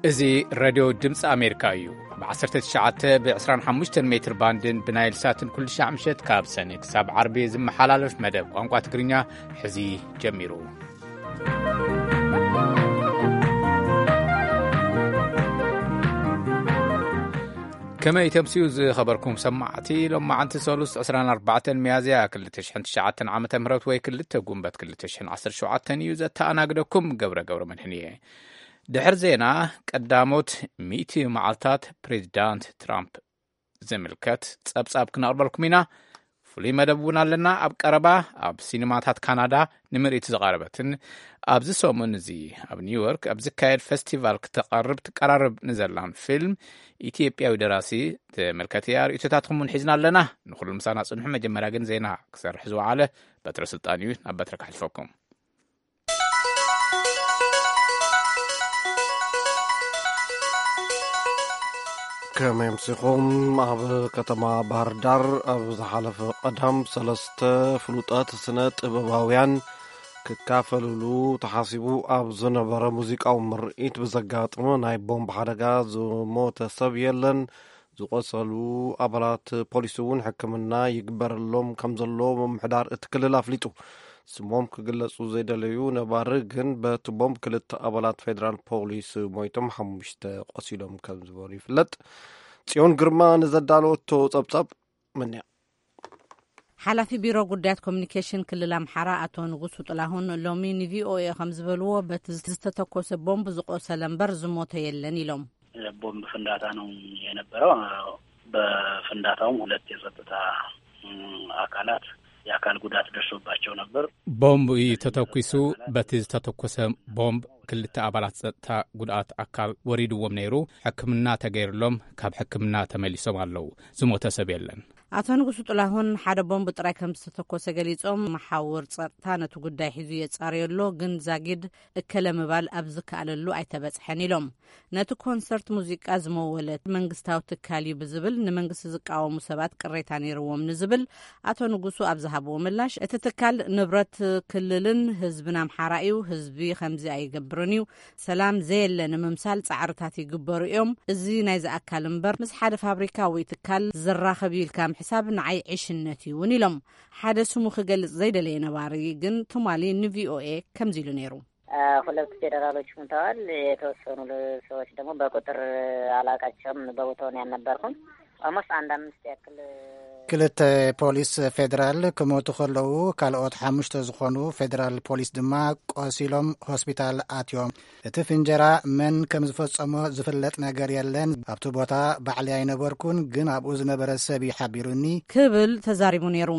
እዚ ሬድዮ ድምፂ ኣሜሪካ እዩ። ብ19 ብ25 ሜትር ባንድን ብናይል ሳትን ኩሉ ሻዕ ምሸት ካብ ሰኒ ክሳብ ዓርቢ ዝመሓላለፍ መደብ ቋንቋ ትግርኛ ሕዚ ጀሚሩ። ከመይ ተምስዩ ዝኸበርኩም ሰማዕቲ? ሎማዓንቲ ሰሉስ 24 ሚያዝያ 2009 ዓ.ም ወይ ክልተ ጉንበት 2017 እዩ። ዘተኣናግደኩም ገብረ ገብረ መድህን እየ። ድሕሪ ዜና፣ ቀዳሞት ሚእቲ መዓልታት ፕሬዚዳንት ትራምፕ ዝምልከት ጸብጻብ ክነቕርበልኩም ኢና። ፍሉይ መደብ እውን ኣለና። ኣብ ቀረባ ኣብ ሲኒማታት ካናዳ ንምርኢት ዝቐረበትን ኣብዚ ሰሙን እዚ ኣብ ኒውዮርክ ኣብ ዝካየድ ፈስቲቫል ክተቐርብ ትቀራረብ ንዘላን ፊልም ኢትዮጵያዊ ደራሲ ዝምልከት እያ። ርእይቶታትኩም እውን ሒዝና ኣለና። ንኹሉ ምሳና ጽንሑ። መጀመርያ ግን ዜና ክሰርሕ ዝወዓለ በትረ ስልጣን እዩ። ናብ በትረ ከሕልፈኩም። ከመይ ኣምሲኹም? ኣብ ከተማ ባህር ዳር ኣብ ዝሓለፈ ቀዳም ሰለስተ ፍሉጣት ስነ ጥበባውያን ክካፈልሉ ተሓሲቡ ኣብ ዝነበረ ሙዚቃዊ ምርኢት ብዘጋጠመ ናይ ቦምብ ሓደጋ ዝሞተ ሰብ የለን። ዝቆሰሉ ኣባላት ፖሊስ እውን ሕክምና ይግበረሎም ከም ዘሎ ምምሕዳር እቲ ክልል ኣፍሊጡ። ስሞም ክግለጹ ዘይደለዩ ነባሪ ግን በቲ ቦምብ ክልተ ኣባላት ፌደራል ፖሊስ ሞይቶም፣ ሓሙሽተ ቆሲሎም ከም ዝበሩ ይፍለጥ። ጽዮን ግርማ ንዘዳለወቶ ጸብጻብ ምንያ። ሓላፊ ቢሮ ጉዳያት ኮሚኒኬሽን ክልል ኣምሓራ ኣቶ ንጉሱ ጥላሁን ሎሚ ንቪኦኤ ከም ዝበልዎ፣ በቲ ዝተተኮሰ ቦምብ ዝቆሰለ እምበር ዝሞተ የለን ኢሎም። ቦምብ ፍንዳታ ነው የነበረው። በፍንዳታውም ሁለት የጸጥታ አካላት የአካል ጉዳት ደርሶባቸው ነበር። ቦምብ እዩ ተተኩሱ። በቲ ዝተተኮሰ ቦምብ ክልተ ኣባላት ጸጥታ ጉድኣት ኣካል ወሪድዎም ነይሩ። ሕክምና ተገይርሎም ካብ ሕክምና ተመሊሶም ኣለዉ። ዝሞተ ሰብ የለን። ኣቶ ንጉሱ ጥላሁን ሓደ ቦምብ ጥራይ ከም ዝተተኮሰ ገሊጾም፣ መሓውር ጸጥታ ነቲ ጉዳይ ሒዙ የጻርዮ ኣሎ፣ ግን ዛጊድ እከለ ምባል ኣብ ዝከኣለሉ ኣይተበጽሐን ኢሎም። ነቲ ኮንሰርት ሙዚቃ ዝመወለ መንግስታዊ ትካል እዩ ብዝብል ንመንግስቲ ዝቃወሙ ሰባት ቅሬታ ነይርዎም ንዝብል ኣቶ ንጉሱ ኣብ ዝሃብዎ ምላሽ፣ እቲ ትካል ንብረት ክልልን ህዝብን ኣምሓራ እዩ፣ ህዝቢ ከምዚ ኣይገብርን እዩ፣ ሰላም ዘየለ ንምምሳል ጻዕርታት ይግበሩ እዮም። እዚ ናይዚ ኣካል እምበር ምስ ሓደ ፋብሪካ ወይ ትካል ዝራኸብ እዩ ኢልካ ምሕሳብ ንዓይ ዕሽነት እዩ እውን ኢሎም። ሓደ ስሙ ክገልጽ ዘይደለየ ነባሪ ግን ትማሊ ንቪኦኤ ከምዚ ኢሉ ነይሩ። አ፣ ሁለት ፌዴራሎች ሙተዋል። የተወሰኑ ል-፣ ሰዎች ደግሞ በቁጥር አላቃቸውም፣ በቦታው ነው ያልነበርኩም። ኦልሞስት አንድ አምስት ያክል ክልተ ፖሊስ ፌዴራል ክሞቱ ከለዉ፣ ካልኦት ሓሙሽተ ዝኾኑ ፌዴራል ፖሊስ ድማ ቆሲሎም ሆስፒታል ኣትዮም። እቲ ፍንጀራ መን ከም ዝፈጸሞ ዝፍለጥ ነገር የለን። ኣብቲ ቦታ ባዕለይ ኣይነበርኩን፣ ግን ኣብኡ ዝነበረ ሰብ እዩ ሓቢሩኒ። ክብል ተዛሪቡ ነይሩ።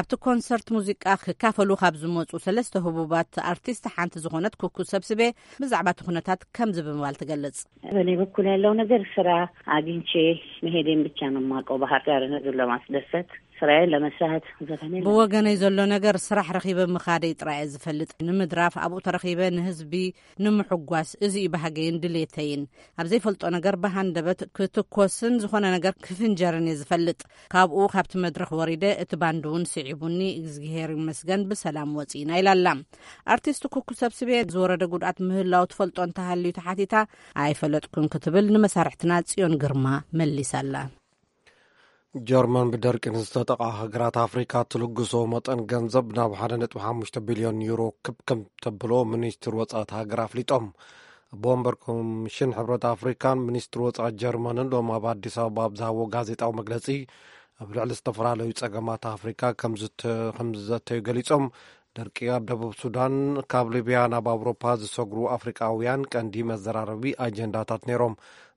ኣብቲ ኮንሰርት ሙዚቃ ክካፈሉ ካብ ዝመጹ ሰለስተ ህቡባት ኣርቲስት ሓንቲ ዝኾነት ኩኩ ሰብስቤ ብዛዕባ እቲ ኩነታት ከምዚ ብምባል ትገልጽ። በእኔ በኩል ያለው ነገር ስራ አግኝቼ መሄዴን ብቻ ነው የማውቀው። ባህር ዳርን ህዝብን ለማስደሰት፣ ስራዬን ለመስራት፣ ዘፈኔን ለመስራት። ብወገነይ ዘሎ ነገር ስራሕ ረኺበ ምኻደይ ጥራይ እየ ዝፈልጥ። ንምድራፍ ኣብኡ ተረኺበ ንህዝቢ ንምሕጓስ፣ እዚ እዩ ባህገይን ድሌተይን። ኣብ ዘይፈልጦ ነገር ብሃንደበት ክትኮስን ዝኾነ ነገር ክፍንጀርን እየ ዝፈልጥ። ካብኡ ካብቲ መድረኽ ወሪደ፣ እቲ ባንድ እውን ስዒቡኒ፣ እግዚኣብሄር ይመስገን ብሰላም ወፂእና ኢላ ኣላ። ኣርቲስት ኩኩ ሰብስቤ ዝወረደ ጉድኣት ምህላው ትፈልጦ እንተሃልዩ ተሓቲታ፣ ኣይፈለጥኩን ክትብል ንመሳርሕትና ጽዮን ግርማ መሊሳላ። ጀርመን ብደርቂ ንዝተጠቕዓ ሃገራት ኣፍሪካ ትልግሶ መጠን ገንዘብ ናብ 1.5 ቢልዮን ዩሮ ክብ ከም ተብሎ ሚኒስትር ወጻእቲ ሃገር ኣፍሊጦም። ቦምበር ኮሚሽን ሕብረት ኣፍሪካን ሚኒስትር ወጻእቲ ጀርመንን ሎም ኣብ ኣዲስ ኣበባ ኣብ ዝሃቦ ጋዜጣዊ መግለጺ፣ ኣብ ልዕሊ ዝተፈላለዩ ጸገማት ኣፍሪካ ከም ዝተ-፣ ከም ዝዘተዩ ገሊጾም። ደርቂ ኣብ ደቡብ ሱዳን፣ ካብ ሊብያ ናብ ኣውሮፓ ዝሰግሩ ኣፍሪቃውያን ቀንዲ መዘራረቢ ኣጀንዳታት ነይሮም።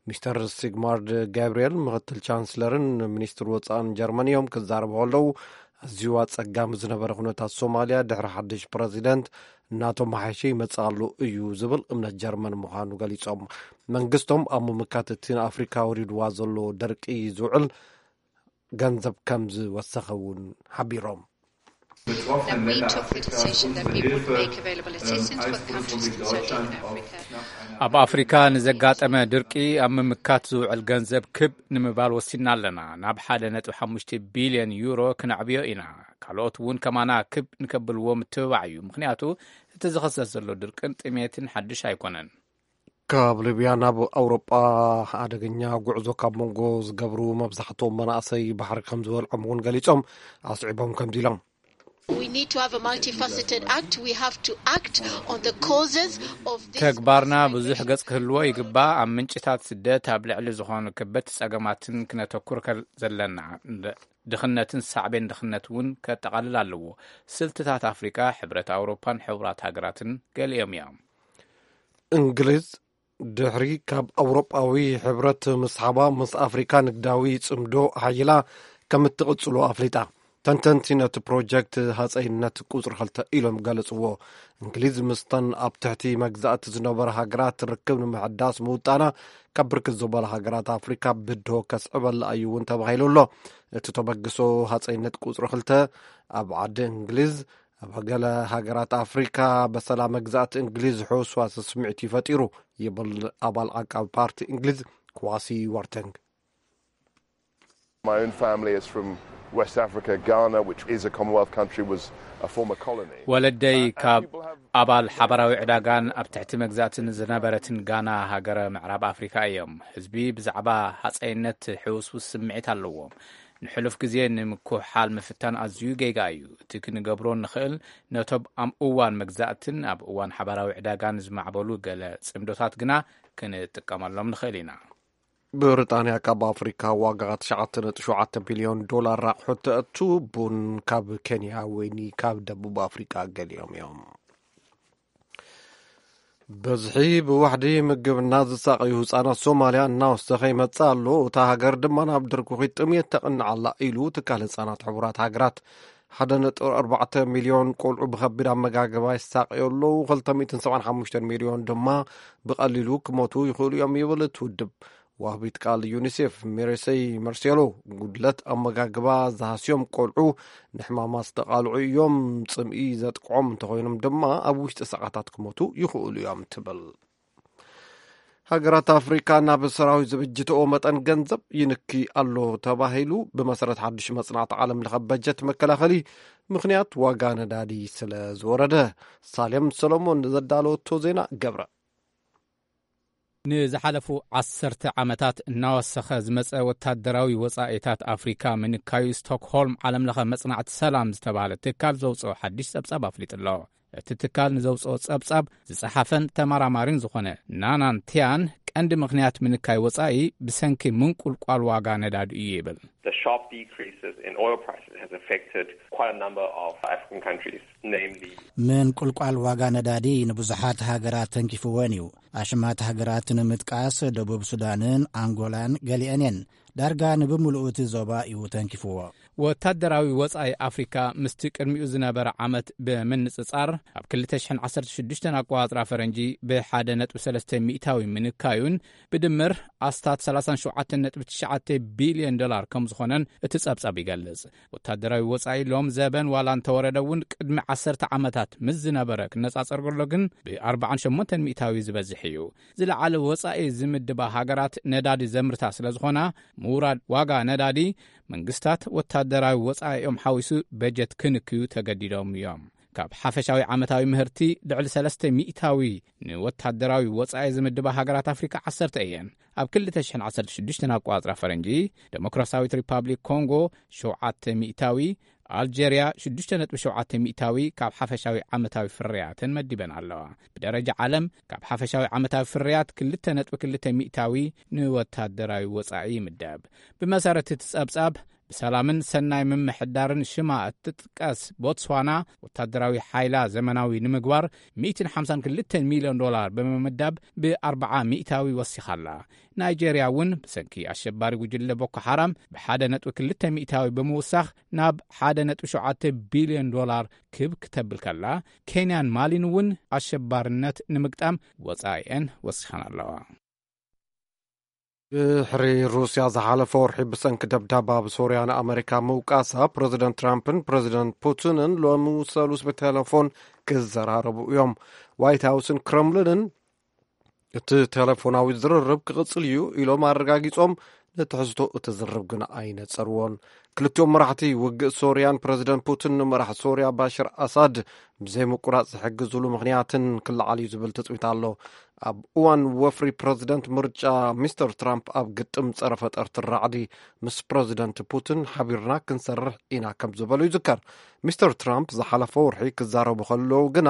ሚስተር ሲግማርድ ጋብርኤል፣ ምክትል ቻንስለርን ሚኒስትር ወጻእን ጀርመን እዮም። ክዛረቡ ከለዉ፣ ኣዝዩ ኣጸጋሚ ዝነበረ ኩነታት ሶማልያ ድሕሪ ሓድሽ ፕረዚደንት እናተመሓየሸ ይመጽእ ኣሎ እዩ ዝብል እምነት ጀርመን ምዃኑ ገሊጾም። መንግስቶም ኣብ ምምካት እቲ ንኣፍሪካ ወሪድዋ ዘሎ ደርቂ ዝውዕል ገንዘብ ከም ዝወሰኸ እውን ሓቢሮም። That we took the decision that we would make available assistance for the countries concerned in Africa. ኣብ ኣፍሪካ ንዘጋጠመ ድርቂ ኣብ ምምካት ዝውዕል ገንዘብ ክብ ንምባል ወሲና ኣለና። ናብ 1.5 ቢልዮን ዩሮ ክነዕብዮ ኢና። ካልኦት እውን ከማና ክብ ንከብልዎ ምትብባዕ እዩ። ምኽንያቱ እቲ ዝኸሰት ዘሎ ድርቅን ጥሜትን ሓድሽ ኣይኮነን። ካብ ሊብያ ናብ ኣውሮጳ ሓደገኛ ጉዕዞ ካብ መንጎ ዝገብሩ መብዛሕትኦም መናእሰይ ባሕሪ ከም ዝበልዖም እውን ገሊጾም፣ ኣስዒቦም ከምዚ ኢሎም። We need to have a multifaceted act. We have to act on the causes of this ተግባርና ብዙሕ ገጽ ክህልዎ ይግባእ። ኣብ ምንጭታት ስደት፣ ኣብ ልዕሊ ዝኾኑ ከበድቲ ጸገማትን ክነተኩር ከ-፣ ዘለና። ድኽነትን ሳዕቤን ድኽነት እውን ከጠቓልል ኣለዎ። ስልትታት ኣፍሪቃ፣ ሕብረት ኣውሮፓን ሕቡራት ሃገራትን ገሊኦም እዮም። እንግሊዝ ድሕሪ ካብ ኣውሮጳዊ ሕብረት ምስሓባ፣ ምስ ኣፍሪካ ንግዳዊ ጽምዶ ሓይላ ከም እትቕጽሎ ኣፍሊጣ። ተንተንቲ ነቲ ፕሮጀክት ሃጸይነት ቁጽሪ ክልተ ኢሎም ገለጽዎ። እንግሊዝ ምስተን ኣብ ትሕቲ መግዛእቲ ዝነበራ ሃገራት ርክብ ንምሕዳስ ምውጣና፣ ካብ ብርክት ዝበላ ሃገራት ኣፍሪካ ብድሆ ከስዕበላ እዩ እውን ተባሂሉ ኣሎ። እቲ ተበግሶ ሃጸይነት ቁጽሪ ክልተ ኣብ ዓዲ እንግሊዝ፣ ኣብ ገለ ሃገራት ኣፍሪካ በሰላ መግዛእቲ እንግሊዝ ሕውስዋስ ስምዒት እዩ ፈጢሩ፣ ይብል ኣባል ዓቃቢ ፓርቲ እንግሊዝ ክዋሲ ዋርተንግ። My own family is from West Africa. Ghana, which is a Commonwealth country, was a former colony. ወለደይ ካብ ኣባል ሓባራዊ ዕዳጋን ኣብ ትሕቲ መግዛእትን ዝነበረትን ጋና፣ ሃገረ ምዕራብ ኣፍሪካ እዮም። ህዝቢ ብዛዕባ ሃፀይነት ሕውስውስ ስምዒት ኣለዎም። ንሕሉፍ ግዜ ንምኩሓል ምፍታን ኣዝዩ ጌጋ እዩ። እቲ ክንገብሮ ንኽእል፣ ነቶም ኣብ እዋን መግዛእትን ኣብ እዋን ሓባራዊ ዕዳጋን ዝማዕበሉ ገለ ጽምዶታት ግና ክንጥቀመሎም ንኽእል ኢና። ብሪጣንያ ካብ ኣፍሪካ ዋጋ ትሽዓተ ነጥቢ ሸውዓተ ቢልዮን ዶላር ኣቑሑት ተእቱ። ቡን ካብ ኬንያ፣ ወይኒ ካብ ደቡብ ኣፍሪካ ገሊኦም እዮም። በዝሒ ብዋሕዲ ምግብና ዝሳቐዩ ህጻናት ሶማልያ እናወሰኸ ይመጽእ ኣሎ። እታ ሃገር ድማ ናብ ድርኩኺት ጥምየት ተቕንዕ ኣላ ኢሉ ትካል ህጻናት ሕቡራት ሃገራት። ሓደ ነጥቢ ኣርባዕተ ሚልዮን ቆልዑ ብኸቢድ ኣመጋግባ ይሳቐዩ ኣለዉ። ክልተ ሚእትን ሰብዓን ሓሙሽተን ሚልዮን ድማ ብቐሊሉ ክሞቱ ይኽእሉ እዮም ይብል እቲ ውድብ። ዋህቢት ቃል ዩኒሴፍ ሜሬሰይ መርሴሎ፣ ጉድለት ኣመጋግባ ዝሃስዮም ቆልዑ ንሕማማት ዝተቓልዑ እዮም፣ ጽምኢ ዘጥቅዖም እንተኾይኖም ድማ ኣብ ውሽጢ ሰዓታት ክሞቱ ይኽእሉ እዮም ትብል። ሃገራት ኣፍሪካ ናብ ሰራዊት ዝብጅትኦ መጠን ገንዘብ ይንኪ ኣሎ ተባሂሉ። ብመሰረት ሓድሽ መጽናዕቲ ዓለም ለኸ በጀት መከላኸሊ፣ ምኽንያት ዋጋ ነዳዲ ስለ ዝወረደ። ሳሌም ሰሎሞን ንዘዳለወቶ ዜና ገብረ። ንዝሓለፉ ዓሰርተ ዓመታት እናወሰኸ ዝመጸ ወታደራዊ ወጻኢታት ኣፍሪካ ምንካዩ ስቶክሆልም ዓለምለኸ መጽናዕቲ ሰላም ዝተባህለ ትካል ዘውፅኦ ሓድሽ ጸብጻብ ኣፍሊጡ ኣሎ። እቲ ትካል ንዘውፅኦ ጸብጻብ ዝጸሓፈን ተመራማሪን ዝኾነ ናናን ቲያን፣ ቀንዲ ምኽንያት ምንካይ ወጻኢ ብሰንኪ ምንቁልቋል ዋጋ ነዳዲ እዩ ይብል። The sharp decreases in oil prices has affected quite a number of African countries, namely ምንቁልቋል ዋጋ ነዳዲ ንብዙሓት ሃገራት ተንኪፍወን እዩ። ኣሽማት ሃገራት ንምጥቃስ፣ ደቡብ ሱዳንን ኣንጎላን ገሊአን እየን። ዳርጋ ንብምልኡ እቲ ዞባ እዩ ተንኪፍዎ። ወታደራዊ ወጻኢ ኣፍሪካ ምስቲ ቅድሚኡ ዝነበረ ዓመት ብምንጽጻር፣ ኣብ ክልተ ሽሕን ዓሰርተ ሽዱሽተን ኣቆጻጽራ ፈረንጂ ብሓደ ነጥቢ ሰለስተ ሚእታዊ ምንካዩን፣ ብድምር ኣስታት ሰላሳን ሸውዓተን ነጥቢ ትሽዓተ ቢልዮን ዶላር ከም ዝኾነን እቲ ጸብጻብ ይገልጽ። ወታደራዊ ወጻኢ ሎም ዘበን ዋላ እንተወረደ እውን፣ ቅድሚ ዓሰርተ ዓመታት ምስ ዝነበረ ክነጻጸር ከሎ ግን ብኣርባዓን ሸሞንተን ሚእታዊ ዝበዝሕ እዩ። ዝለዓለ ወጻኢ ዝምድባ ሃገራት ነዳዲ ዘምርታ ስለ ዝኾና፣ ምውራድ ዋጋ ነዳዲ መንግስታት ወታደራዊ ወጻኢኦም ሓዊሱ በጀት ክንክዩ ተገዲዶም እዮም። ካብ ሓፈሻዊ ዓመታዊ ምህርቲ ልዕሊ ሰለስተ ሚእታዊ ንወታደራዊ ወጻኢ ዝምድባ ሃገራት ኣፍሪካ ዓሰርተ እየን። ኣብ ክልተ ሽሕን ዓሰርተ ሽዱሽተን ኣቆጻጽራ ፈረንጂ፣ ዴሞክራሲያዊት ሪፓብሊክ ኮንጎ ሸውዓተ ሚእታዊ፣ ኣልጀርያ ሽዱሽተ ነጥቢ ሸውዓተ ሚእታዊ ካብ ሓፈሻዊ ዓመታዊ ፍርያተን መዲበን ኣለዋ። ብደረጃ ዓለም፣ ካብ ሓፈሻዊ ዓመታዊ ፍርያት ክልተ ነጥቢ ክልተ ሚእታዊ ንወታደራዊ ወጻኢ ይምደብ። ብመሰረት እቲ ጸብጻብ፣ ብሰላምን ሰናይ ምምሕዳርን ሽማ እትጥቀስ ቦትስዋና፣ ወታደራዊ ሓይላ ዘመናዊ ንምግባር ሚእትን ሓምሳን ክልተን ሚልዮን ዶላር ብምምዳብ ብኣርብዓ ሚእታዊ ወሲኻ ኣላ። ናይጄርያ እውን ብሰንኪ ኣሸባሪ ጉጅለ ቦኮ ሓራም ብሓደ ነጥቢ ክልተ ሚእታዊ ብምውሳኽ ናብ ሓደ ነጥቢ ሸውዓተ ቢልዮን ዶላር ክብ ክተብል ከላ፣ ኬንያን ማሊን እውን ኣሸባርነት ንምግጣም ወጻኢኤን ወሲኸን ኣለዋ። ድሕሪ ሩስያ ዝሓለፈ ወርሒ ብሰንኪ ደብዳብ ኣብ ሶርያ ንኣመሪካ ምውቃሳ፣ ፕረዚደንት ትራምፕን ፕረዚደንት ፑቲንን ሎሚ ሰሉስ ብቴሌፎን ክዘራረቡ እዮም። ዋይት ሃውስን ክረምሊንን እቲ ቴሌፎናዊ ዝርርብ ክቕጽል እዩ ኢሎም ኣረጋጊጾም፣ ንትሕዝቶ እቲ ዝርርብ ግን ኣይነጸርዎን። ክልቲኦም መራሕቲ ውግእ ሶርያን ፕረዚደንት ፑቲን ንመራሕ ሶርያ ባሽር ኣሳድ ብዘይምቁራጽ ዝሕግዝሉ ምኽንያትን ክለዓል እዩ ዝብል ትጽቢት ኣሎ። ኣብ እዋን ወፍሪ ፕረዚደንት ምርጫ፣ ሚስተር ትራምፕ ኣብ ግጥም ጸረ ፈጠርቲ ራዕዲ ምስ ፕረዚደንት ፑቲን ሓቢርና ክንሰርሕ ኢና ከም ዝበሉ ይዝከር። ሚስተር ትራምፕ ዝሓለፈ ወርሒ ክዛረቡ ከለዉ ግና፣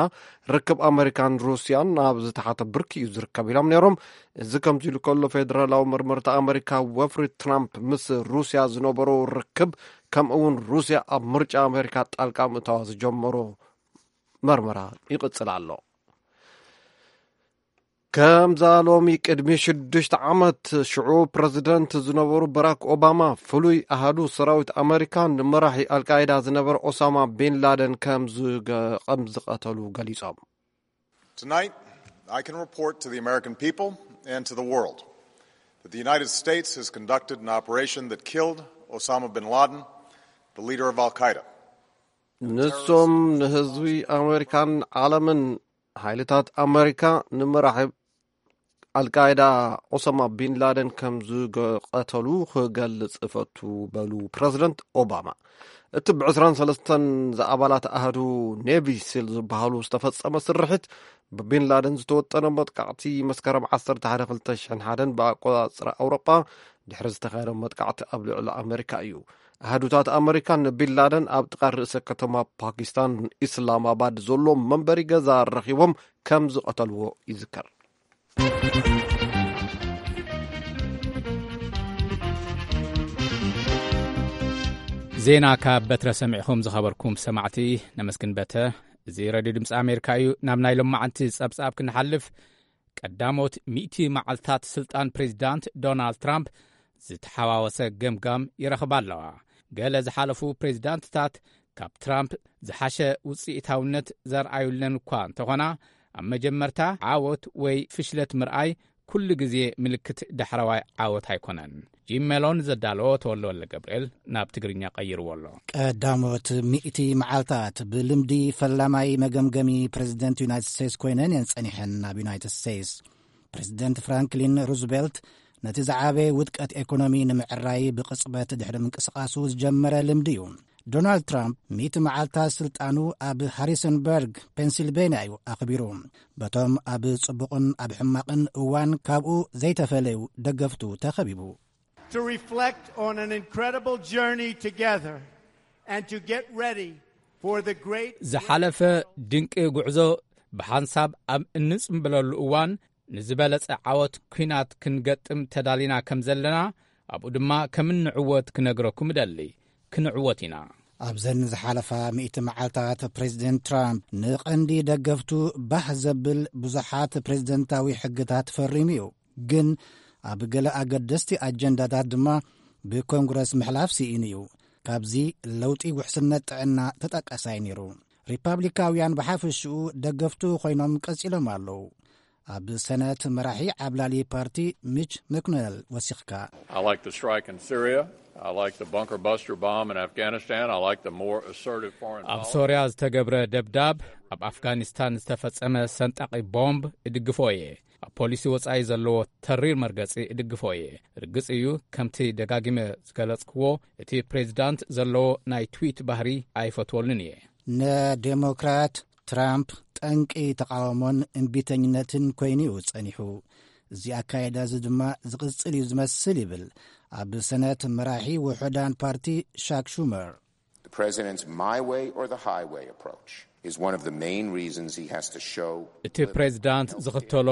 ርክብ ኣመሪካን ሩስያን ኣብ ዝተሓተ ብርኪ እዩ ዝርከብ ኢሎም ነይሮም። እዚ ከምዚ ኢሉ ከሎ፣ ፌደራላዊ መርመርቲ ኣመሪካ፣ ወፍሪ ትራምፕ ምስ ሩስያ ዝነበሮ ርክብ፣ ከምኡ እውን ሩስያ ኣብ ምርጫ ኣመሪካ ጣልቃ ምእታዋ ዝጀመሮ መርመራ ይቕጽል ኣሎ። ከምዛ ሎሚ ቅድሚ ሽዱሽተ ዓመት፣ ሽዑ ፕረዚደንት ዝነበሩ በራክ ኦባማ፣ ፍሉይ ኣሃዱ ሰራዊት ኣመሪካ ንመራሒ ኣልቃይዳ ዝነበረ ኦሳማ ቢን ላደን ከም ዝገ-፣ ከም ዝቐተሉ ገሊጾም። Tonight, I can report to the American people and to the world that the United States has conducted an operation that killed Osama bin Laden, the leader of Al Qaeda. ንሶም ንህዝቢ ኣመሪካን ዓለምን፣ ሓይልታት ኣመሪካ ንመራሒ ኣልቃይዳ ኦሳማ ቢን ላደን ከም ዝቀተሉ ክገልጽ እፈቱ፣ በሉ ፕረዚደንት ኦባማ። እቲ ብ ዕስራን ሰለስተን ዝኣባላት ኣህዱ ኔቪ ሲል ዝበሃሉ ዝተፈጸመ ስርሒት፣ ብቢን ላደን ዝተወጠነ መጥቃዕቲ መስከረም ዓሰርተ ሓደ ክልተ ሽሕን ሓደን ብኣቆጻጽራ ኣውሮጳ ድሕሪ ዝተኻየደ መጥቃዕቲ ኣብ ልዕሊ ኣመሪካ እዩ። ኣህዱታት ኣመሪካ ንቢን ላደን ኣብ ጥቓ ርእሰ ከተማ ፓኪስታን ኢስላማባድ ዘሎ መንበሪ ገዛ ረኺቦም ከም ዝቐተልዎ ይዝከር። ዜና ካብ በትረ ሰሚዕኹም ዝኸበርኩም ሰማዕቲ ነመስግን በተ። እዚ ሬድዮ ድምፂ ኣሜሪካ እዩ። ናብ ናይ ሎማዓንቲ ጸብጻብ ክንሓልፍ፣ ቀዳሞት ሚእቲ መዓልታት ስልጣን ፕሬዚዳንት ዶናልድ ትራምፕ ዝተሓዋወሰ ገምጋም ይረኽባ ኣለዋ። ገለ ዝሓለፉ ፕሬዚዳንትታት ካብ ትራምፕ ዝሓሸ ውፅኢታውነት ዘርኣዩለን እኳ እንተኾና፣ ኣብ መጀመርታ ዓወት ወይ ፍሽለት ምርኣይ ኩሉ ግዜ ምልክት ዳሕረዋይ ዓወት ኣይኮነን። ጂም ሜሎን ዘዳለዎ ተወልደ ወልደ ገብርኤል ናብ ትግርኛ ቀይርዎ ኣሎ። ቀዳሞት ሚእቲ መዓልታት ብልምዲ ፈላማይ መገምገሚ ፕሬዚደንት ዩናይትድ ስቴትስ ኮይነን እየን ጸኒሐን። ኣብ ዩናይትድ ስቴትስ ፕሬዚደንት ፍራንክሊን ሩዝቬልት ነቲ ዝዓበየ ውድቀት ኤኮኖሚ ንምዕራይ ብቕጽበት ድሕሪ ምንቅስቓሱ ዝጀመረ ልምዲ እዩ። ዶናልድ ትራምፕ ሚእቲ መዓልታት ስልጣኑ ኣብ ሃሪሰንበርግ ፔንሲልቬንያ እዩ ኣኽቢሩ። በቶም ኣብ ጽቡቕን ኣብ ሕማቕን እዋን ካብኡ ዘይተፈለዩ ደገፍቱ ተኸቢቡ። To reflect on an incredible journey together and to get ready for the great ዝሓለፈ ድንቂ ጉዕዞ ብሓንሳብ ኣብ እንጽምብለሉ እዋን፣ ንዝበለጸ ዓወት ኲናት ክንገጥም ተዳሊና ከም ዘለና፣ ኣብኡ ድማ ከም እንዕወት ክነግረኩም እደሊ። ክንዕወት ኢና። ኣብዘን ዝሓለፋ ሚእቲ መዓልታት ፕሬዚደንት ትራምፕ ንቐንዲ ደገፍቱ ባህ ዘብል ብዙሓት ፕሬዚደንታዊ ሕግታት ፈሪሙ እዩ። ግን ኣብ ገለ ኣገደስቲ ኣጀንዳታት ድማ ብኮንግረስ ምሕላፍ ስኢኑ እዩ። ካብዚ ለውጢ ውሕስነት ጥዕና ተጠቃሳይ ነይሩ። ሪፓብሊካውያን ብሓፈሽኡ ደገፍቱ ኮይኖም ቀጺሎም ኣለዉ። ኣብ ሰነት መራሒ ዓብላሊ ፓርቲ ሚች መክነል ወሲኽካ። I like the strike in Syria. I like the bunker buster bomb in Afghanistan. I like the more assertive foreign ኣብ policy. ሶርያ ዝተገብረ ደብዳብ፣ ኣብ ኣፍጋኒስታን ዝተፈጸመ ሰንጣቂ ቦምብ እድግፎ እየ። ኣብ ፖሊሲ ወጻኢ ዘለዎ ተሪር መርገጺ እድግፎ እየ። ርግጽ እዩ፣ ከምቲ ደጋጊመ ዝገለጽክዎ፣ እቲ ፕሬዚዳንት ዘለዎ ናይ ትዊት ባህሪ ኣይፈትወሉን እየ። ንዴሞክራት ትራምፕ ጠንቂ ተቓውሞን እምቢተኝነትን ኮይኑ እዩ ጸኒሑ። እዚ ኣካይዳ እዚ ድማ ዝቕጽል እዩ ዝመስል ይብል ኣብ ሰነት መራሒ ውሑዳን ፓርቲ ሻክ ሹመር። The president's my way or the highway approach is one of the main reasons he has to show እቲ ፕሬዚዳንት ዝኽተሎ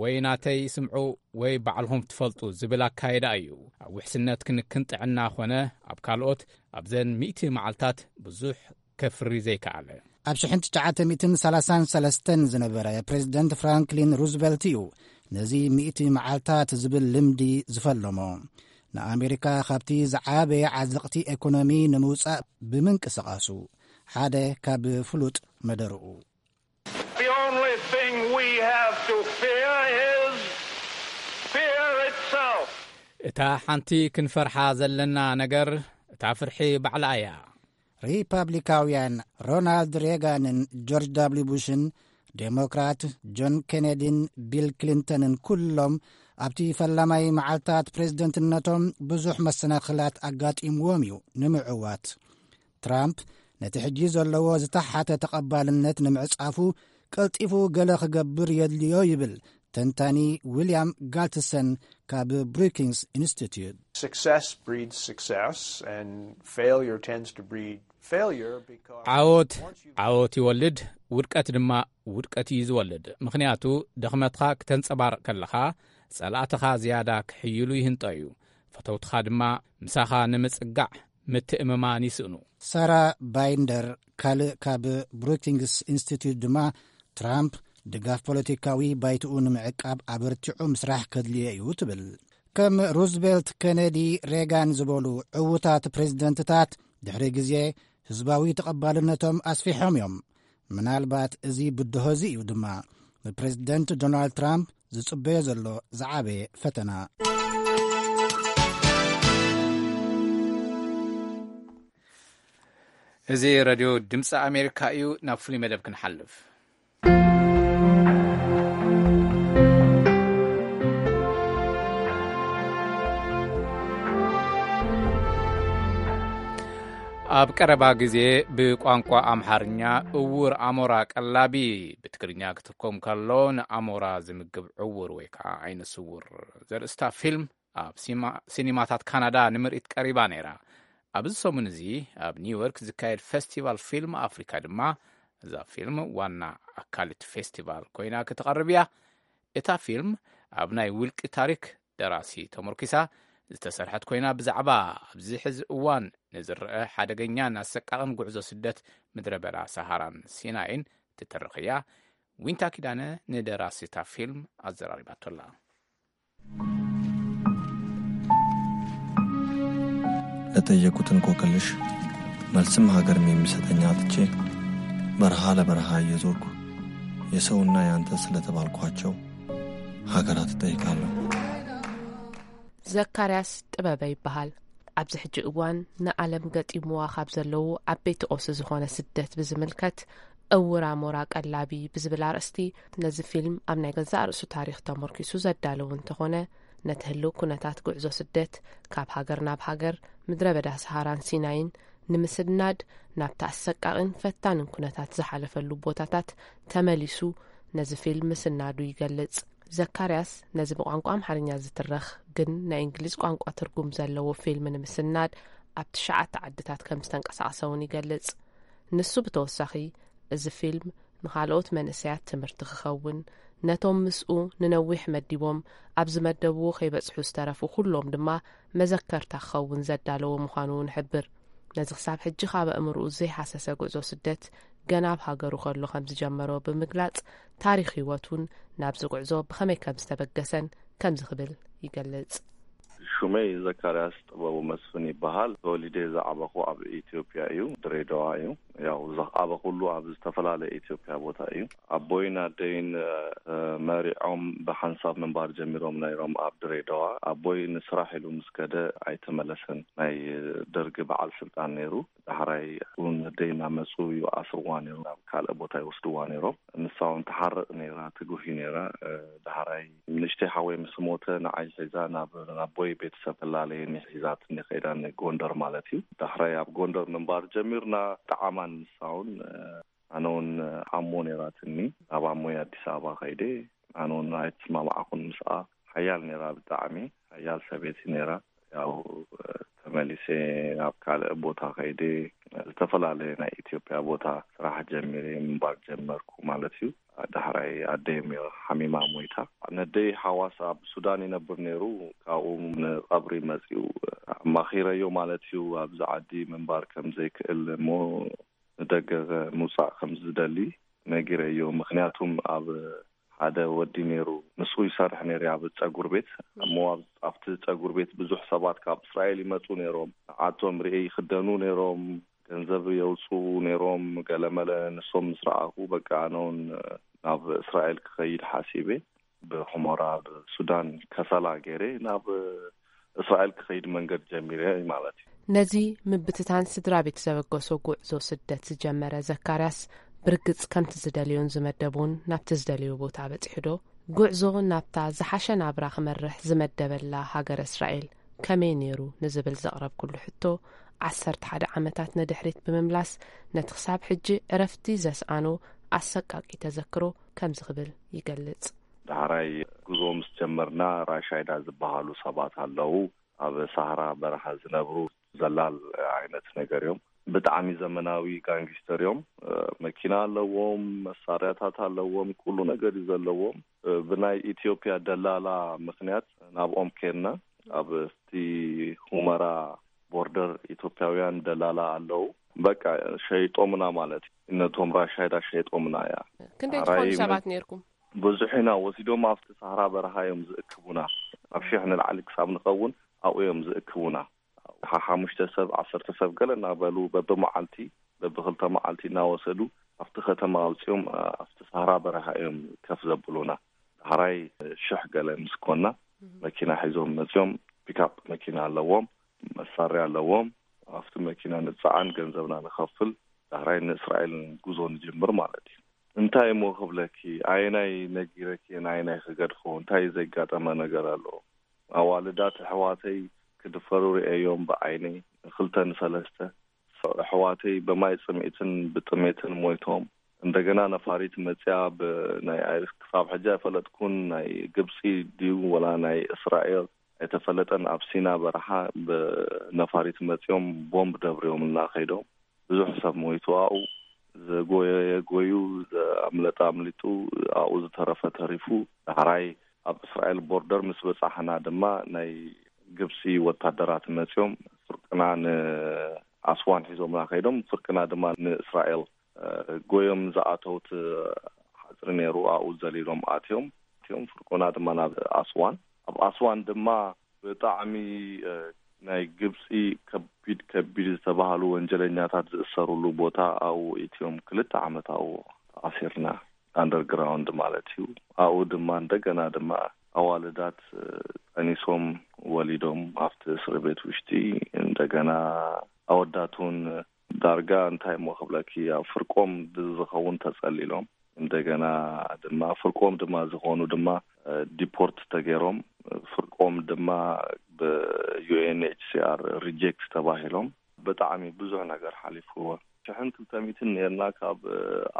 ወይ ናተይ ስምዑ ወይ ባዕልኹም ትፈልጡ ዝብል ኣካይዳ እዩ ኣብ ውሕስነት ክንክን ጥዕና ኾነ ኣብ ካልኦት ኣብዘን ሚእቲ መዓልታት ብዙሕ ከፍሪ ዘይከኣለ። ኣብ ሽሕን ትሽዓተ ሚእትን ሰላሳን ሰለስተን ዝነበረ ፕሬዚደንት ፍራንክሊን ሩዝቨልት እዩ ነዚ ሚእቲ መዓልታት ዝብል ልምዲ ዝፈለሞ። ንኣሜሪካ ካብቲ ዝዓበየ ዓዘቕቲ ኤኮኖሚ ንምውጻእ ብምንቅስቓሱ ሓደ ካብ ፍሉጥ መደርኡ። The only thing we have to fear is fear itself. እታ ሓንቲ ክንፈርሓ ዘለና ነገር እታ ፍርሒ ባዕላ እያ። ሪፓብሊካውያን ሮናልድ ሬጋንን ጆርጅ ዳብልዩ ቡሽን፣ ዴሞክራት ጆን ኬኔዲን ቢል ክሊንተንን ኩሎም ኣብቲ ፈላማይ መዓልታት ፕሬዝደንትነቶም ብዙሕ መሰናኽላት ኣጋጢምዎም እዩ ንምዕዋት። ትራምፕ ነቲ ሕጂ ዘለዎ ዝተሓተ ተቐባልነት ንምዕጻፉ ቀልጢፉ ገለ ክገብር የድልዮ ይብል ተንታኒ ዊልያም ጋልትሰን ካብ ብሩኪንግስ ኢንስቲትዩት። Success breeds success, and failure tends to breed failure because ዓወት ዓወት ይወልድ፣ ውድቀት ድማ ውድቀት እዩ ዝወልድ። ምኽንያቱ ድኽመትኻ ክተንጸባርቕ ከለኻ ጸላእትኻ ዝያዳ ክሕይሉ ይህንጦ እዩ፣ ፈተውትኻ ድማ ምሳኻ ንምጽጋዕ ምትእምማን ይስእኑ። ሳራ ባይንደር ካልእ ካብ ብሩኪንግስ ኢንስቲትዩት ድማ ትራምፕ ድጋፍ ፖለቲካዊ ባይትኡ ንምዕቃብ ኣበርቲዑ ምስራሕ ከድልዮ እዩ ትብል። ከም ሩዝቬልት፣ ኬነዲ፣ ሬጋን ዝበሉ ዕዉታት ፕሬዝደንትታት ድሕሪ ግዜ ህዝባዊ ተቐባልነቶም ኣስፊሖም እዮም። ምናልባት እዚ ብድሆ እዚ እዩ ድማ ንፕሬዝደንት ዶናልድ ትራምፕ ዝጽበዮ ዘሎ ዝዓበየ ፈተና። እዚ ሬድዮ ድምፂ ኣሜሪካ እዩ። ናብ ፍሉይ መደብ ክንሓልፍ። ኣብ ቀረባ ግዜ ብቋንቋ ኣምሓርኛ እውር ኣሞራ ቀላቢ፣ ብትግርኛ ክትርኮም ከሎ ንኣሞራ ዝምግብ ዕውር ወይ ከዓ ዓይነ ስውር ዘርእስታ ፊልም ኣብ ሲኒማታት ካናዳ ንምርኢት ቀሪባ ነይራ። ኣብዚ ሰሙን እዚ ኣብ ኒውዮርክ ዝካየድ ፌስቲቫል ፊልም ኣፍሪካ ድማ እዛ ፊልም ዋና ኣካል እቲ ፌስቲቫል ኮይና ክትቐርብ እያ። እታ ፊልም ኣብ ናይ ውልቂ ታሪክ ደራሲ ተመርኪሳ ዝተሰርሐት ኮይና፣ ብዛዕባ ኣብዚ ሕዚ እዋን ንዝረአ ሓደገኛን ኣሰቃቕን ጉዕዞ ስደት ምድረ በዳ ሰሃራን ሲናይን ትተርኽ እያ። ዊንታ ኪዳነ ንደራሲ እታ ፊልም ኣዘራሪባቶ ኣላ። ለጠየቁት እንቆቅልሽ መልስም ሀገርም የሚሰጠኝ አጥቼ በረሃ ለበረሃ እየዞርኩ የሰውና ያንተ ስለተባልኳቸው ሀገራት እጠይቃለሁ። ዘካርያስ ጥበበ ይበሃል። ኣብዚ ሕጂ እዋን ንዓለም ገጢምዋ ካብ ዘለዉ ዓበይቲ ቀውሲ ዝኾነ ስደት ብዝምልከት እውር ኣሞራ ቀላቢ ብዝብል ኣርእስቲ ነዚ ፊልም ኣብ ናይ ገዛእ ርእሱ ታሪኽ ተመርኪሱ ዘዳለዉ እንተኾነ፣ ነቲ ህልው ኩነታት ጉዕዞ ስደት ካብ ሃገር ናብ ሃገር፣ ምድረ በዳ ሰሃራን ሲናይን ንምስናድ ናብቲ ኣሰቃቒን ፈታንን ኩነታት ዝሓለፈሉ ቦታታት ተመሊሱ ነዚ ፊልም ምስናዱ ይገልጽ። ዘካርያስ ነዚ ብቋንቋ ኣምሓርኛ ዝትረኽ ግን ናይ እንግሊዝ ቋንቋ ትርጉም ዘለዎ ፊልም ንምስናድ ኣብ ትሽዓተ ዓድታት ከም ዝተንቀሳቐሰ እውን ይገልጽ። ንሱ ብተወሳኺ እዚ ፊልም ንኻልኦት መንእሰያት ትምህርቲ ክኸውን፣ ነቶም ምስኡ ንነዊሕ መዲቦም ኣብ ዝመደብዎ ከይበጽሑ ዝተረፉ ኩሎም ድማ መዘከርታ ክኸውን ዘዳለዎ ምዃኑ እውን ይሕብር። ነዚ ክሳብ ሕጂ ካብ ኣእምርኡ ዘይሃሰሰ ጉዕዞ ስደት ገና ኣብ ሃገሩ ከሎ ከም ዝጀመሮ ብምግላጽ፣ ታሪኽ ህይወቱን ናብዚ ጉዕዞ ብኸመይ ከም ዝተበገሰን ከምዚ ክብል ይገልጽ። ሹመይ ዘካርያስ ጥበቡ መስፍን ይበሃል። ተወሊደ ዝዓበኹ ኣብ ኢትዮጵያ እዩ፣ ድሬዳዋ እዩ። ያው ዝዓበኹሉ ኣብ ዝተፈላለየ ኢትዮጵያ ቦታ እዩ። ኣቦይን ኣደይን መሪዖም ብሓንሳብ ምንባር ጀሚሮም ነይሮም ኣብ ድሬዳዋ። ኣቦይ ንስራሕ ኢሉ ምስ ከደ ኣይተመለሰን። ናይ ደርጊ በዓል ስልጣን ነይሩ። ዳሕራይ እውን ደይ እናመፁ ይኣስርዋ ነይሩ፣ ናብ ካልእ ቦታ ይወስድዋ ነይሮም። ንሳ እውን ትሓርቕ ነይራ፣ ትጉሂ ነይራ። ዳሕራይ ንእሽተይ ሓወይ ምስ ሞተ ንዓይ ሒዛ ናብ ኣቦይ ቤተሰብ ትላለየኒ፣ ሒዛትኒ ከይዳ ንጎንደር ማለት እዩ። ዳሕራይ ኣብ ጎንደር ምንባር ጀሚርና። ጠዓማን ንሳ እውን ኣነ እውን ኣሞ ነይራትኒ። ናብ ኣሞይ ኣዲስ ኣበባ ከይደ ኣነ እውን ኣይተስማማዕኹን ምስኣ። ሓያል ነይራ፣ ብጣዕሚ ሓያል ሰበይቲ ነይራ። ያው ተመሊሰ ናብ ካልእ ቦታ ከይደ ዝተፈላለየ ናይ ኢትዮጵያ ቦታ ስራሕ ጀሚረ ምንባር ጀመርኩ ማለት እዩ። ዳሕራይ ኣደይ ሓሚማ ሞይታ። ነደይ ሓዋስ ኣብ ሱዳን ይነብር ነይሩ። ካብኡ ንቐብሪ መፂኡ ኣማኺረዮ ማለት እዩ፣ ኣብዚ ዓዲ ምንባር ከም ዘይክእል እሞ ንደገ ምውፃእ ከም ዝደሊ ነጊረዮ። ምክንያቱም ኣብ ሓደ ወዲ ነይሩ፣ ምስኡ ይሰርሕ ነይሩ ኣብ ፀጉር ቤት። እሞ ኣብ- ኣብቲ ፀጉር ቤት ብዙሕ ሰባት ካብ እስራኤል ይመፁ ነይሮም። ንዓቶም ርኤ ይክደኑ ነይሮም፣ ገንዘብ የውፅኡ ነይሮም። ገለመለ ንሶም ምስ ረኣኹ በቃ ኣነ እውን ናብ እስራኤል ክኸይድ ሓሲበ። ብሑመራ ብሱዳን ከሰላ ገይረ ናብ እስራኤል ክኸይድ መንገድ ጀሚረ ማለት እዩ። ነዚ ምብትታን ስድራ ቤት ዘበገሶ ጉዕዞ ስደት ዝጀመረ ዘካርያስ፣ ብርግጽ ከምቲ ዝደልዮን ዝመደቦን ናብቲ ዝደልዮ ቦታ በጺሑ ዶ? ጉዕዞ ናብታ ዝሓሸ ናብራ ክመርሕ ዝመደበላ ሃገረ እስራኤል ከመይ ነይሩ ንዝብል ዘቕረብኩሉ ሕቶ፣ ዓሰርተ ሓደ ዓመታት ንድሕሪት ብምምላስ፣ ነቲ ክሳብ ሕጂ ዕረፍቲ ዘስኣኖ ኣሰቃቂ ተዘክሮ ከምዚ ክብል ይገልጽ። ዳሕራይ ጉዞ ምስ ጀመርና፣ ራሻይዳ ዝበሃሉ ሰባት ኣለዉ። ኣብ ሳህራ በረኻ ዝነብሩ ዘላል ዓይነት ነገር እዮም። ብጣዕሚ ዘመናዊ ጋንጊስተር እዮም። መኪና ኣለዎም፣ መሳርያታት ኣለዎም፣ ኩሉ ነገር እዩ ዘለዎም። ብናይ ኢትዮጵያ ደላላ ምኽንያት ናብኦም ኬድና። ኣብ እቲ ሁመራ ቦርደር ኢትዮጵያውያን ደላላ ኣለዉ። በቃ ሸይጦምና ማለት እዩ። ነቶም ራሻይዳ ሸይጦምና እያ። ክንደይ ትኾኑ ኣራይ ሰባት ነርኩም? ብዙሕ ኢና ወሲዶም። ኣብቲ ሳህራ በረኻ እዮም ዝእክቡና። ኣብ ሽሕ ንላዕሊ ክሳብ ንኸውን ኣብኡ እዮም ዝእክቡና። ሓሙሽተ ሰብ፣ ዓሰርተ ሰብ ገለ እናበሉ በብመዓልቲ፣ በብክልተ መዓልቲ እናወሰዱ ኣብቲ ከተማ ኣውፅኦም ኣብቲ ሳህራ በረኻ እዮም ከፍ ዘብሉና። ዳሕራይ ሽሕ ገለ ምስ ኮና መኪና ሒዞም መፅኦም። ፒካፕ መኪና ኣለዎም፣ መሳርያ ኣለዎም። ኣብቲ መኪና ንፀዓን፣ ገንዘብና ንኸፍል፣ ዳሕራይ ንእስራኤል ጉዞ ንጅምር ማለት እዩ። እንታይ እሞ ክብለኪ፣ ኣየናይ ነጊረኪ፣ ኣየናይ ክገድፎ? እንታይ ዘጋጠመ ነገር ኣሎ? ኣዋልዳት ኣሕዋተይ ክድፈሩ ርእየዮም ብዓይነይ፣ ክልተ ንሰለስተ። ኣሕዋተይ ብማይ ጽምኢትን ብጥሜትን ሞይቶም። እንደገና ነፋሪት መጽያ ብናይ ኣይሪስ፣ ክሳብ ሕጂ ኣይፈለጥኩን፣ ናይ ግብጺ ድዩ ወላ ናይ እስራኤል ኣይተፈለጠን። ኣብ ሲና በረኻ ብነፋሪት መጽዮም ቦምብ ደብርዮም እናኸይዶም ብዙሕ ሰብ ሞይቱ ኣብኡ። ዘጎየ የጎዩ፣ ዘኣምለጠ ኣምሊጡ፣ ኣብኡ ዝተረፈ ተሪፉ። ዳሕራይ ኣብ እስራኤል ቦርደር ምስ በጻሕና ድማ ናይ ግብጺ ወታደራት መጽዮም ፍርቅና ንኣስዋን ሒዞምና ከይዶም፣ ፍርቅና ድማ ንእስራኤል ጎዮም ዝኣተውት ሓጽሪ ነይሩ፣ ኣብኡ ዘሊሎም ኣትዮም። ኣትዮም ፍርቁና ድማ ናብ ኣስዋን። ኣብ ኣስዋን ድማ ብጣዕሚ ናይ ግብጺ ከቢድ ከቢድ ዝተባህሉ ወንጀለኛታት ዝእሰሩሉ ቦታ ኣብኡ ኢትዮም ክልተ ዓመት ኣብኡ ተኣሲርና። ኣንደርግራውንድ ማለት እዩ። ኣብኡ ድማ እንደገና ድማ ኣዋልዳት ጠኒሶም ወሊዶም ኣብቲ እስሪ ቤት ውሽጢ። እንደገና ኣወዳት እውን ዳርጋ እንታይ እሞ ክብለኪ፣ ኣብ ፍርቆም ብዝኸውን ተጸሊሎም፣ እንደገና ድማ ፍርቆም ድማ ዝኾኑ ድማ ዲፖርት ተገይሮም፣ ፍርቆም ድማ ብ ዩ ኤን ኤች ሲ ኣር ሪጀክት ተባሂሎም። ብጣዕሚ ብዙሕ ነገር ሓሊፍዎ። ሽሕን ክልተ ሚእትን ነርና ካብ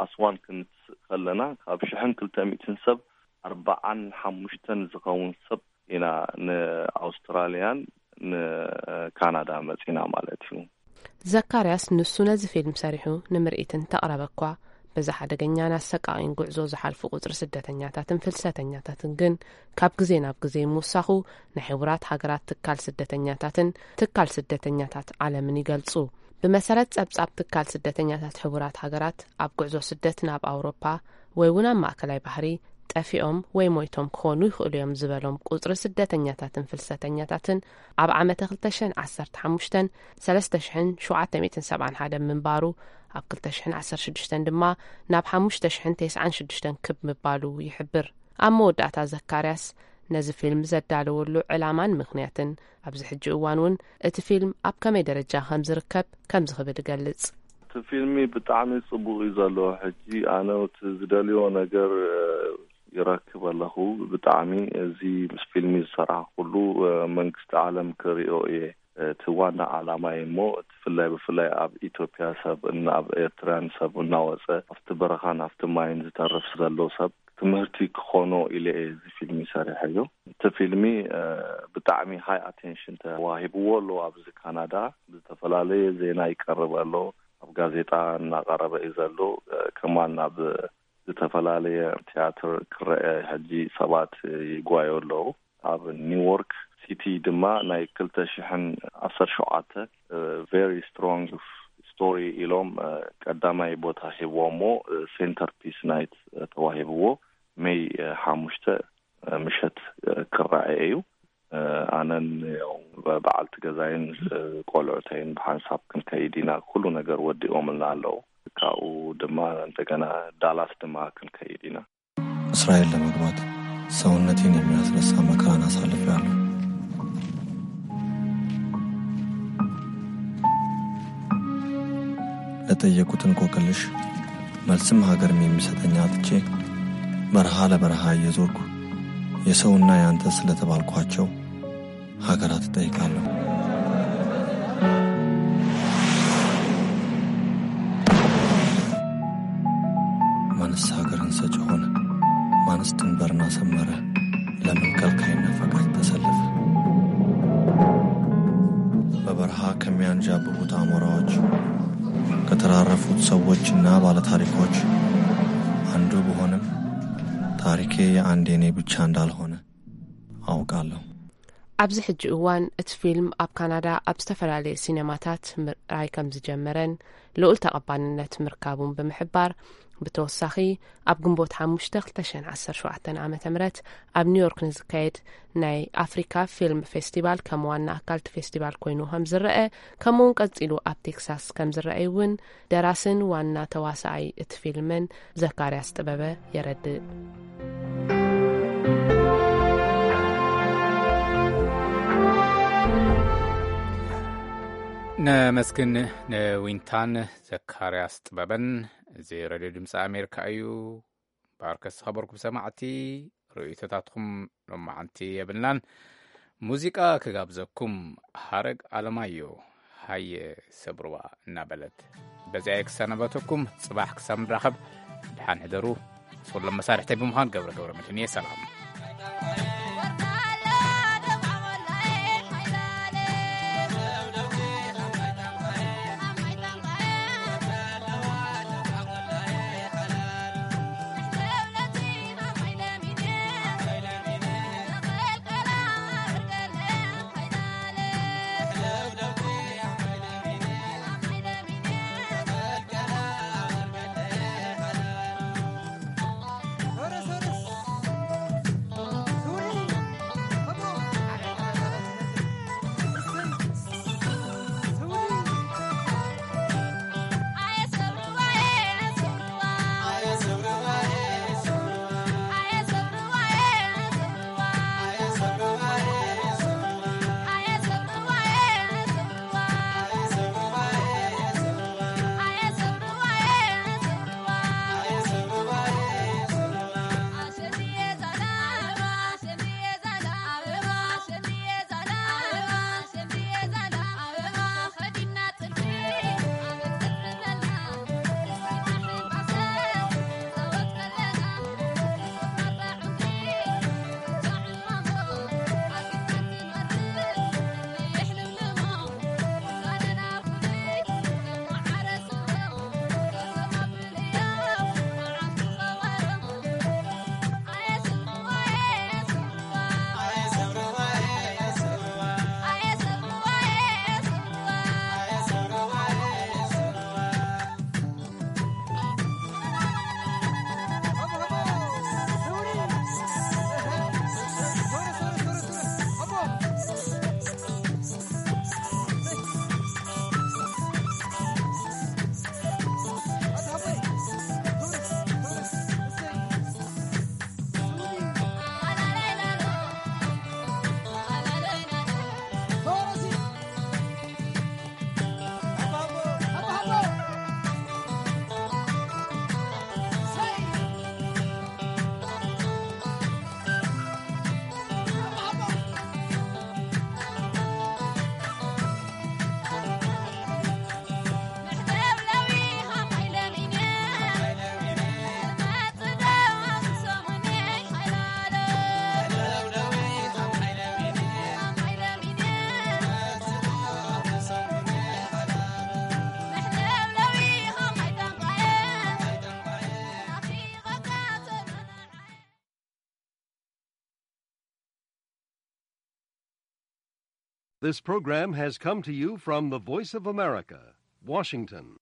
ኣስዋን ክንስእ ከለና፣ ካብ ሽሕን ክልተ ሚእትን ሰብ ኣርባዓን ሓሙሽተን ዝኸውን ሰብ ኢና ንኣውስትራልያን ንካናዳ መጺና ማለት እዩ። ዘካርያስ ንሱ ነዚ ፊልም ሰሪሑ ንምርኢት እንተቕረበ እኳ፣ በዚ ሓደገኛን ኣሰቃቒን ጉዕዞ ዝሓልፉ ቁጽሪ ስደተኛታትን ፍልሰተኛታትን ግን ካብ ግዜ ናብ ግዜ ምውሳኹ፣ ናይ ሕቡራት ሃገራት ትካል ስደተኛታትን ትካል ስደተኛታት ዓለምን ይገልጹ። ብመሰረት ጸብጻብ ትካል ስደተኛታት ሕቡራት ሃገራት፣ ኣብ ጉዕዞ ስደት ናብ ኣውሮፓ ወይ እውን ኣብ ማእከላይ ባሕሪ ጠፊኦም ወይ ሞይቶም ክኾኑ ይኽእሉ እዮም ዝበሎም ቁጽሪ ስደተኛታትን ፍልሰተኛታትን ኣብ ዓመተ ክልተ ሽሕን ዓሰርተ ሓሙሽተን ሰለስተ ሽሕን ሸውዓተ ሚእትን ሰብዓን ሓደን ምንባሩ፣ ኣብ ክልተ ሽሕን ዓሰርተ ሽዱሽተን ድማ ናብ ሓሙሽተ ሽሕን ተስዓን ሽዱሽተን ክብ ምባሉ ይሕብር። ኣብ መወዳእታ ዘካርያስ ነዚ ፊልም ዘዳለወሉ ዕላማን ምኽንያትን፣ ኣብዚ ሕጂ እዋን እውን እቲ ፊልም ኣብ ከመይ ደረጃ ከም ዝርከብ ከምዚ ክብል ይገልጽ። እቲ ፊልሚ ብጣዕሚ ጽቡቕ እዩ ዘሎ። ሕጂ ኣነ እቲ ዝደልዮ ነገር ይረክብ ኣለኹ። ብጣዕሚ እዚ ምስ ፊልሚ ዝሰራሕኩሉ መንግስቲ ዓለም ክሪኦ እየ። እቲ ዋና ዓላማይ እሞ እቲ ፍላይ ብፍላይ ኣብ ኢትዮጵያ ሰብ እና ኣብ ኤርትራን ሰብ እናወፀ ኣብቲ በረኻን ኣብቲ ማይን ዝተርፍ ዘሎ ሰብ ትምህርቲ ክኾኖ ኢለ እየ እዚ ፊልሚ ሰሪሐዮ። እቲ ፊልሚ ብጣዕሚ ሃይ ኣቴንሽን ተዋሂብዎ ኣሎ። ኣብዚ ካናዳ ብዝተፈላለየ ዜና ይቀርብ ኣሎ፣ ኣብ ጋዜጣ እናቀረበ እዩ ዘሎ። ከማን ኣብ ዝተፈላለየ ቲያትር ክረአ ሕጂ ሰባት ይጓዩ ኣለዉ። ኣብ ኒውዮርክ ሲቲ ድማ ናይ ክልተ ሽሕን ዓሰርተ ሸውዓተ ቨሪ ስትሮንግ ስቶሪ ኢሎም ቀዳማይ ቦታ ሂብዎሞ፣ ሴንተር ፒስ ናይት ተዋሂብዎ። ሜይ ሓሙሽተ ምሸት ክረአ እዩ። ኣነን በዓልቲ ገዛይን ቆልዑተይን ብሓንሳብ ክንከይድ ኢና። ኩሉ ነገር ወዲኦምልና ኣለዉ። ካብኡ ድማ እንደገና ዳላስ ድማ ክንከይድ ኢና። እስራኤል ለመግባት ሰውነቴን የሚያስረሳ መከራን አሳልፌያለሁ። ለጠየቁት እንቆቅልሽ መልስም ሀገርም የሚሰጠኝ አጥቼ በረሃ ለበረሃ እየዞርኩ የሰውና ያንተ ስለተባልኳቸው ሀገራት እጠይቃለሁ። ማንስ ሀገርን ሰጭ ሆነ? ማንስ ድንበርና አሰመረ ለምን ከልካይና ፈቃድ ተሰለፈ። በበረሃ ከሚያንዣብቡት አሞራዎች፣ ከተራረፉት ሰዎችና ባለታሪኮች አንዱ ብሆንም፣ ታሪኬ የአንድ የኔ ብቻ እንዳልሆነ አውቃለሁ። ኣብዚ ሕጂ እዋን እቲ ፊልም ኣብ ካናዳ ኣብ ዝተፈላለየ ሲነማታት ምርኣይ ከም ዝጀመረን ልዑል ተቐባልነት ምርካቡን ብምሕባር፣ ብተወሳኺ ኣብ ግንቦት ሓሙሽተ ክልተ ሽሕን ዓሰርተ ሸውዓተን ዓመተ ምህረት ኣብ ኒውዮርክ ንዝካየድ ናይ ኣፍሪካ ፊልም ፌስቲቫል ከም ዋና ኣካል እቲ ፌስቲቫል ኮይኑ ከም ዝረአ፣ ከምኡ እውን ቀጺሉ ኣብ ቴክሳስ ከም ዝረኣይ እውን ደራስን ዋና ተዋሳኣይ እቲ ፊልምን ዘካርያስ ጥበበ የረድእ። ነመስግን ንዊንታን ዘካርያስ ጥበበን። እዚ ሬድዮ ድምፂ ኣሜሪካ እዩ። ባርከስ ዝኸበርኩም ሰማዕቲ፣ ርእይቶታትኩም ሎማዓንቲ የብልናን። ሙዚቃ ክጋብዘኩም፣ ሃረግ ኣለማዮ ሃየ ሰብርዋ እናበለት በዚኣ ክሰናበተኩም። ጽባሕ ክሳብ ንራኸብ፣ ድሓን ሕደሩ። ሶሎም መሳርሕተይ ብምዃን ገብረ ገብረ መድህን እየ። ሰላም። This program has come to you from the Voice of America, Washington.